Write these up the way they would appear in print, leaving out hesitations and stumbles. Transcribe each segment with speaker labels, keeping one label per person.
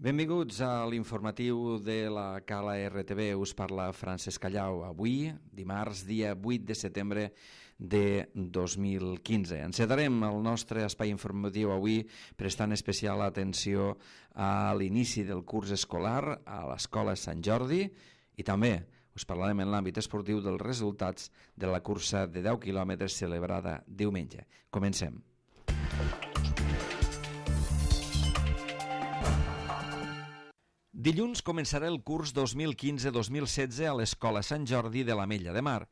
Speaker 1: Benvinguts a l'informatiu de la Cala RTV. Us parla Francesc Callau. Avui, dimarts, dia 8 de setembre de 2015. Encetarem el nostre espai informatiu avui prestant especial atenció a l'inici del curs escolar a l'Escola Sant Jordi i també us parlarem en l'àmbit esportiu dels resultats de la cursa de 10 quilòmetres celebrada diumenge. Comencem. Dilluns començarà el curs 2015-2016 a l'Escola Sant Jordi de l'Ametlla de Mar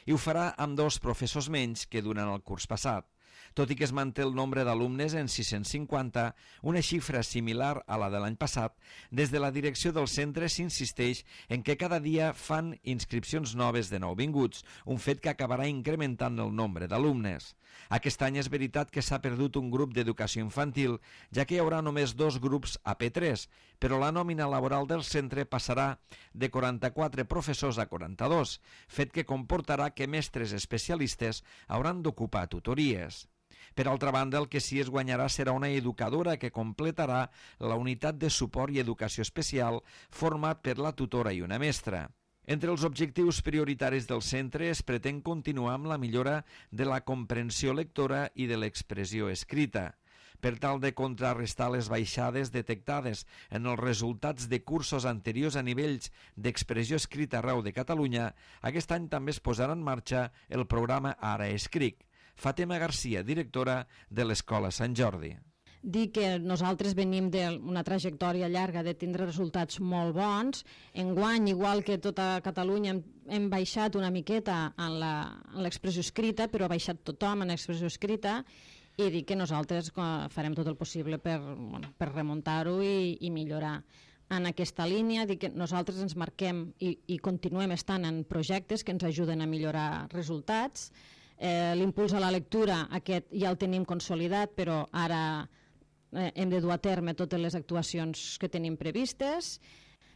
Speaker 1: i ho farà amb 2 professors menys que durant el curs passat. Tot i que es manté el nombre d'alumnes en 650, una xifra similar a la de l'any passat, des de la direcció del centre s'insisteix en que cada dia fan inscripcions noves de nouvinguts, un fet que acabarà incrementant el nombre d'alumnes. Aquest any és veritat que s'ha perdut un grup d'educació infantil, ja que hi haurà només 2 grups AP3, però la nòmina laboral del centre passarà de 44 professors a 42, fet que comportarà que mestres especialistes hauran d'ocupar tutories. Per altra banda, el que sí es guanyarà serà una educadora que completarà la unitat de suport i educació especial format per la tutora i una mestra. Entre els objectius prioritaris del centre es pretén continuar amb la millora de la comprensió lectora i de l'expressió escrita. Per tal de contrarrestar les baixades detectades en els resultats de cursos anteriors a nivells d'expressió escrita arreu de Catalunya, aquest any també es posarà en marxa el programa Ara Escric. Fàtima Garcia, directora de l'Escola Sant Jordi.
Speaker 2: Dir que nosaltres venim d'una trajectòria llarga de tindre resultats molt bons. Enguany, igual que tota Catalunya, hem baixat una miqueta en l'expressió escrita, però ha baixat tothom en l'expressió escrita, i dir que nosaltres farem tot el possible per remuntar-ho i millorar. En aquesta línia, dir que nosaltres ens marquem i continuem estant en projectes que ens ajuden a millorar resultats. L'impuls a la lectura, aquest ja el tenim consolidat, però ara hem de dur a terme totes les actuacions que tenim previstes.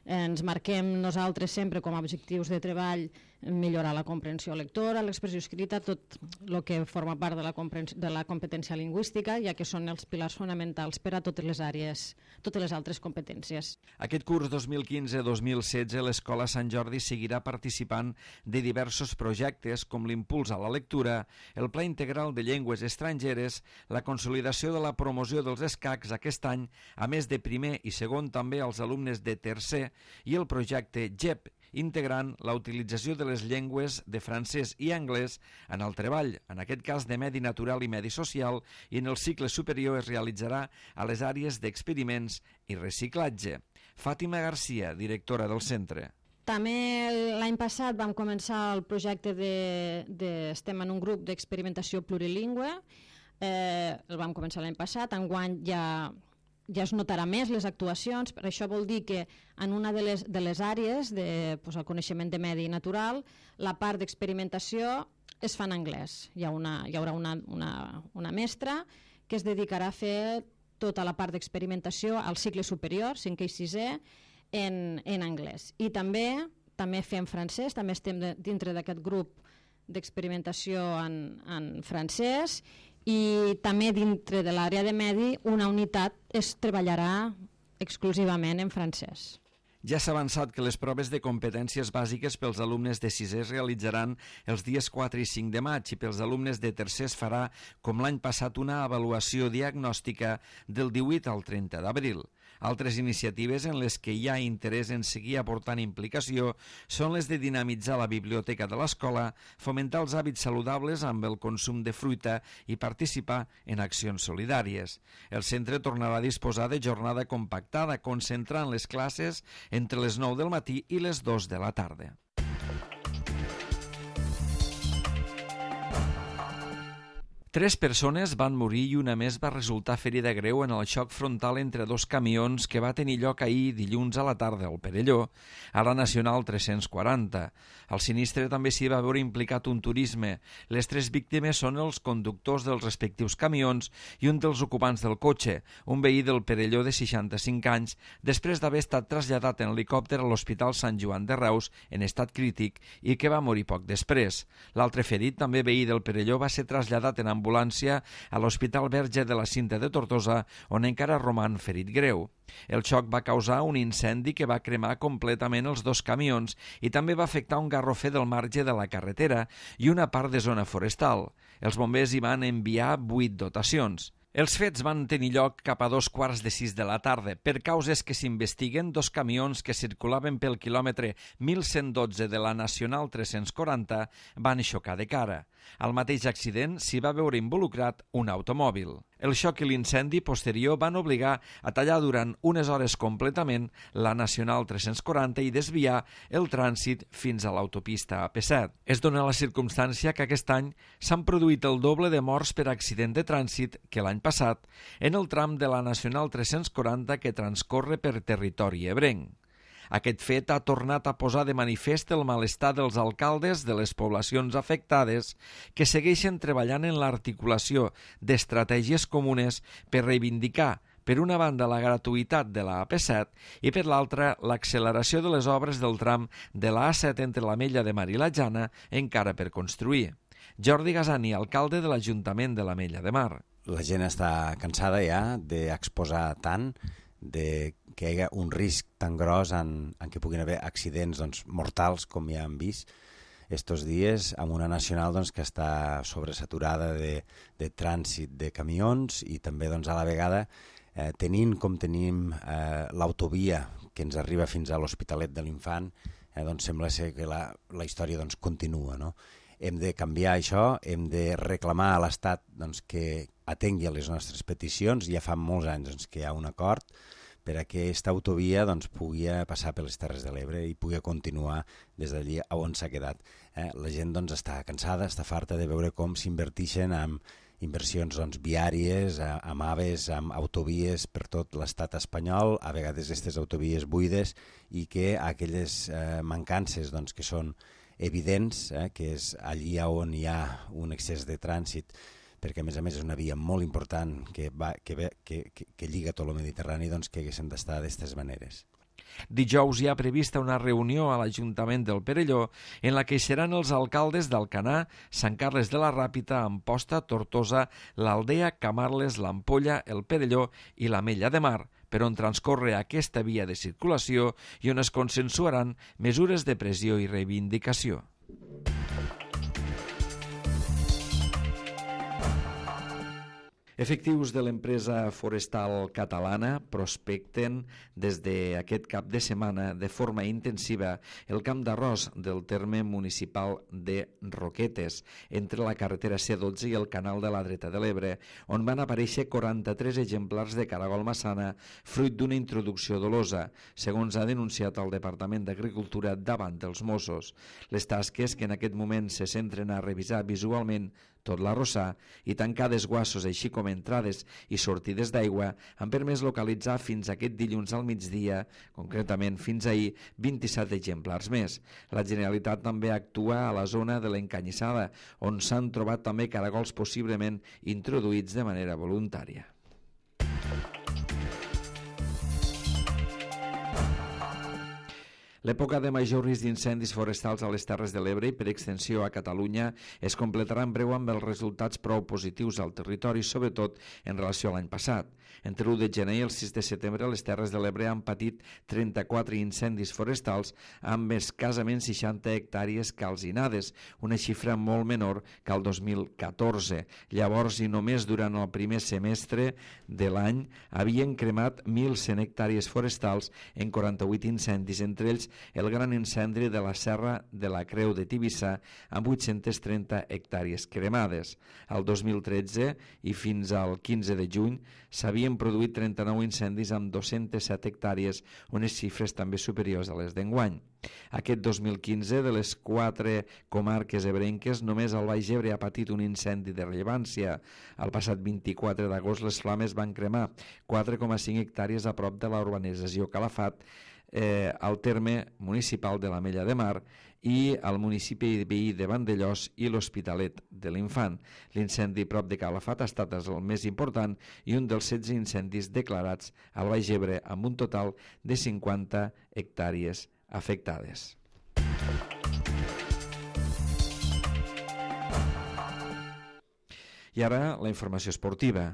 Speaker 2: Ens marquem nosaltres sempre com a objectius de treball millorar la comprensió lectora, l'expressió escrita, tot el que forma part de la competència lingüística, ja que són els pilars fonamentals per a totes les àrees, totes les altres competències.
Speaker 1: Aquest curs 2015-2016 l'Escola Sant Jordi seguirà participant de diversos projectes com l'impuls a la lectura, el Pla Integral de Llengües Estrangeres, la consolidació de la promoció dels escacs aquest any, a més de primer i segon també als alumnes de tercer, i el projecte GEP, integrant la utilització de les llengües de francès i anglès en el treball, en aquest cas de medi natural i medi social, i en el cicle superior es realitzarà a les àrees d'experiments i reciclatge. Fàtima Garcia, directora del centre.
Speaker 2: També l'any passat vam començar el projecte estem en un grup d'experimentació plurilingüe, el vam començar l'any passat, enguany ja es notarà més les actuacions, per això vol dir que en una de les àrees el coneixement de medi natural, la part d'experimentació es fa en anglès. Hi haurà una mestra que es dedicarà a fer tota la part d'experimentació al cicle superior, 5è i 6è, en anglès. I també fem francès, també estem dintre d'aquest grup d'experimentació en francès, i també dintre de l'àrea de medi una unitat es treballarà exclusivament en francès.
Speaker 1: Ja s'ha avançat que les proves de competències bàsiques pels alumnes de 6è es realitzaran els dies 4 i 5 de maig i pels alumnes de tercer es farà, com l'any passat, una avaluació diagnòstica del 18 al 30 d'abril. Altres iniciatives en les que hi ha interès en seguir aportant implicació són les de dinamitzar la biblioteca de l'escola, fomentar els hàbits saludables amb el consum de fruita i participar en accions solidàries. El centre tornarà a disposar de jornada compactada, concentrant les classes entre les 9 del matí i les 2 de la tarda. Tres persones van morir i una més va resultar ferida greu en el xoc frontal entre 2 camions que va tenir lloc ahir dilluns a la tarda al Perelló, a la Nacional 340. Al sinistre també s'hi va veure implicat un turisme. Les 3 víctimes són els conductors dels respectius camions i un dels ocupants del cotxe, un veí del Perelló de 65 anys, després d'haver estat traslladat en helicòpter a l'Hospital Sant Joan de Reus en estat crític i que va morir poc després. L'altre ferit, també veí del Perelló, va ser traslladat en ambulància ambulància a l'Hospital Verge de la Cinta de Tortosa, on encara roman ferit greu. El xoc va causar un incendi que va cremar completament els dos camions i també va afectar un garrofer del marge de la carretera i una part de zona forestal. Els bombers hi van enviar 8 dotacions. Els fets van tenir lloc cap a 5:15 de la tarda. Per causes que s'investiguen, 2 camions que circulaven pel quilòmetre 1112 de la Nacional 340 van xocar de cara. Al mateix accident s'hi va veure involucrat un automòbil. El xoc i l'incendi posterior van obligar a tallar durant unes hores completament la Nacional 340 i desviar el trànsit fins a l'autopista AP7. Es dona la circumstància que aquest any s'han produït el doble de morts per accident de trànsit que l'any passat en el tram de la Nacional 340 que transcorre per territori ebrenc. Aquest fet ha tornat a posar de manifest el malestar dels alcaldes de les poblacions afectades que segueixen treballant en l'articulació d'estratègies comunes per reivindicar, per una banda, la gratuïtat de la AP7 i per l'altra, l'acceleració de les obres del tram de la A7 entre l'Ametlla de Mar i la Jana encara per construir. Jordi Gasani, alcalde de l'Ajuntament de l'Ametlla de Mar.
Speaker 3: La gent està cansada ja d'exposar tant, de que hi hagi un risc tan gros en què puguin haver accidents mortals com ja hem vist estos dies, amb una nacional que està sobresaturada de trànsit de camions i també a la vegada tenint com tenim l'autovia que ens arriba fins a l'Hospitalet de l'Infant, sembla ser que la història continua, no? Hem de canviar això, hem de reclamar a l'Estat que atengui a les nostres peticions. Ja fa molts anys que hi ha un acord per a que aquesta autovia pugui passar per les Terres de l'Ebre i pugui continuar des d'allí on s'ha quedat. La gent està cansada, està farta de veure com s'inverteixen en inversions viàries, amb AVEs, amb autovies per tot l'estat espanyol, a vegades aquestes autovies buides, i que aquelles mancances que són evidents, que és allí on hi ha un excés de trànsit, perquè a més és una via molt important que lliga tot el Mediterrani, que haguessin d'estar d'aquestes maneres.
Speaker 1: Dijous hi ha prevista una reunió a l'Ajuntament del Perelló en la que hi seran els alcaldes d'Alcanar, Sant Carles de la Ràpita, Amposta, Tortosa, l'Aldea, Camarles, l'Ampolla, el Perelló i l'Ametlla de Mar, per on transcorre aquesta via de circulació i on es consensuaran mesures de pressió i reivindicació. Efectius de l'empresa forestal catalana prospecten des d'aquest cap de setmana de forma intensiva el camp d'arròs del terme municipal de Roquetes, entre la carretera C12 i el canal de la Dreta de l'Ebre, on van aparèixer 43 exemplars de caragol massana fruit d'una introducció dolosa, segons ha denunciat el Departament d'Agricultura davant dels Mossos. Les tasques, que en aquest moment se centren a revisar visualment tot l'arrossar i tancar desguassos així com entrades i sortides d'aigua, han permès localitzar fins aquest dilluns al migdia, concretament fins ahir, 27 exemplars més. La Generalitat també actua a la zona de l'Encanyissada, on s'han trobat també caragols possiblement introduïts de manera voluntària. L'època de major risc d'incendis forestals a les Terres de l'Ebre i per extensió a Catalunya es completarà en breu amb els resultats prou positius al territori, sobretot en relació a l'any passat. Entre l'1 de gener i el 6 de setembre, les Terres de l'Ebre han patit 34 incendis forestals amb escassament 60 hectàrees calcinades, una xifra molt menor que el 2014. Llavors, i només durant el primer semestre de l'any, havien cremat 1.100 hectàrees forestals en 48 incendis, entre ells el gran incendi de la Serra de la Creu de Tivissa amb 830 hectàrees cremades. El 2013 i fins al 15 de juny s'havien produït 39 incendis amb 207 hectàrees, unes xifres també superiors a les d'enguany. Aquest 2015, de les 4 comarques ebrenques, només el Baix Ebre ha patit un incendi de rellevància. El passat 24 d'agost les flames van cremar 4,5 hectàrees a prop de la urbanització Calafat, al terme municipal de l'Ametlla de Mar i al municipi veí de Vandellòs i l'Hospitalet de l'Infant. L'incendi prop de Calafat ha estat el més important i un dels 16 incendis declarats al Baix Ebre, amb un total de 50 hectàrees afectades. I ara la informació esportiva.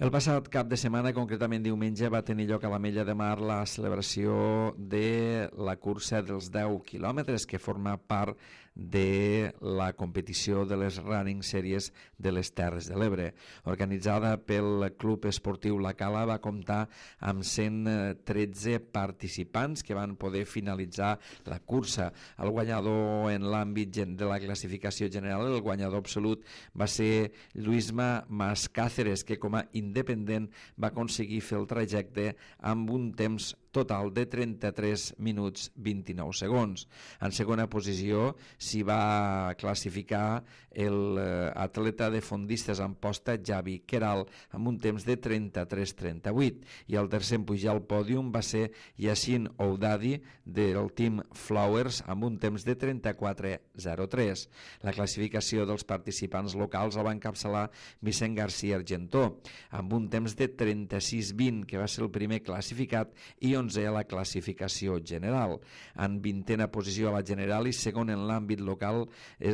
Speaker 1: El passat cap de setmana, concretament diumenge, va tenir lloc a l'Ametlla de Mar la celebració de la cursa dels 10 quilòmetres, que forma part de la competició de les Running Series de les Terres de l'Ebre. Organitzada pel Club Esportiu La Cala, va comptar amb 113 participants que van poder finalitzar la cursa. El guanyador en l'àmbit de la classificació general, el guanyador absolut, va ser Luisma Mascáceres, que com a independent va aconseguir fer el trajecte amb un temps total de 33 minuts 29 segons. En segona posició s'hi va classificar l'atleta de fondistes en posta Javi Queral amb un temps de 33-38, i el tercer en pujar al pòdium va ser Yassin Oudadi del Team Flowers amb un temps de 34-03. La classificació dels participants locals el va encapçalar Vicent García Argentó amb un temps de 36-20, que va ser el primer classificat, i 11 a la classificació general. En 20a posició a la general i segon en l'àmbit local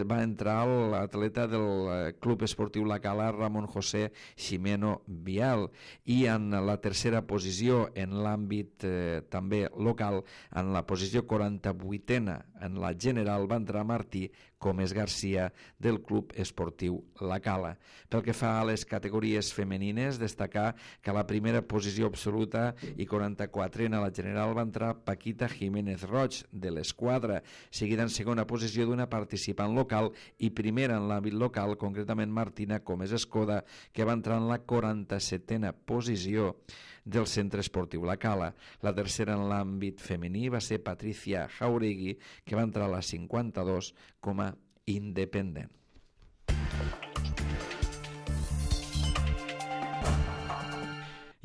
Speaker 1: va entrar l'atleta del Club Esportiu La Cala, Ramon José Ximeno Vial, i en la tercera posició en l'àmbit també local, en la posició 48a en la general, va entrar Martí Gómez García del Club Esportiu La Cala. Pel que fa a les categories femenines, destacar que a la primera posició absoluta i 44 en la general va entrar Paquita Jiménez Roig de l'Esquadra, seguida en segona posició d'una participant local i primera en l'àmbit local, concretament Martina Gómez Escoda, que va entrar en la 47a posició del Centre Esportiu La Cala. La tercera en l'àmbit femení va ser Patricia Jauregui, que va entrar a la 52 com a independent.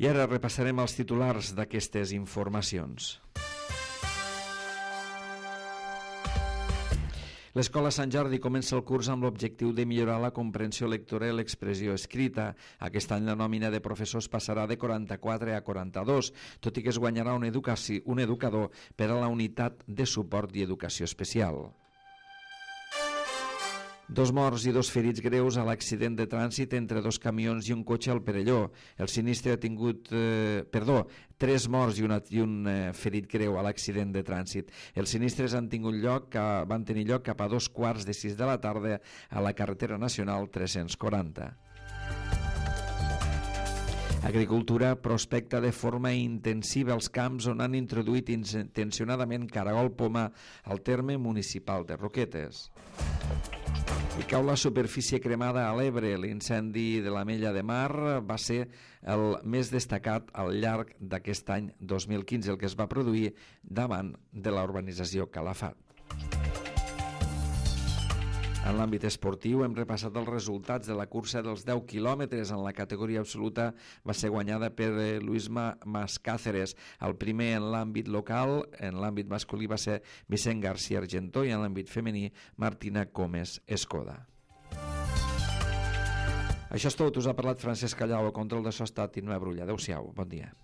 Speaker 1: I ara repassarem els titulars d'aquestes informacions. L'Escola Sant Jordi comença el curs amb l'objectiu de millorar la comprensió lectora i l'expressió escrita. Aquest any la nòmina de professors passarà de 44 a 42, tot i que es guanyarà un educador per a la unitat de suport i educació especial. 2 morts i 2 ferits greus a l'accident de trànsit entre 2 camions i un cotxe al Perelló. El sinistre ha tingut... 3 morts i un ferit greu a l'accident de trànsit. Els sinistres van tenir lloc cap a 2:15 de la tarda a la carretera nacional 340. Agricultura prospecta de forma intensiva els camps on han introduït intencionadament caragol poma al terme municipal de Roquetes. I cau la superfície cremada a l'Ebre. L'incendi de l'Ametlla de Mar va ser el més destacat al llarg d'aquest any 2015, el que es va produir davant de la urbanització Calafat. En l'àmbit esportiu hem repassat els resultats de la cursa dels 10 quilòmetres. En la categoria absoluta va ser guanyada per Luisma Mascáceres. El primer en l'àmbit local, en l'àmbit masculí, va ser Vicent García Argentó, i en l'àmbit femení Martina Gómez Escoda. Això és tot. Us ha parlat Francesc Callau, a control de so ha estat Tinoa Brulla. Adéu-siau, bon dia.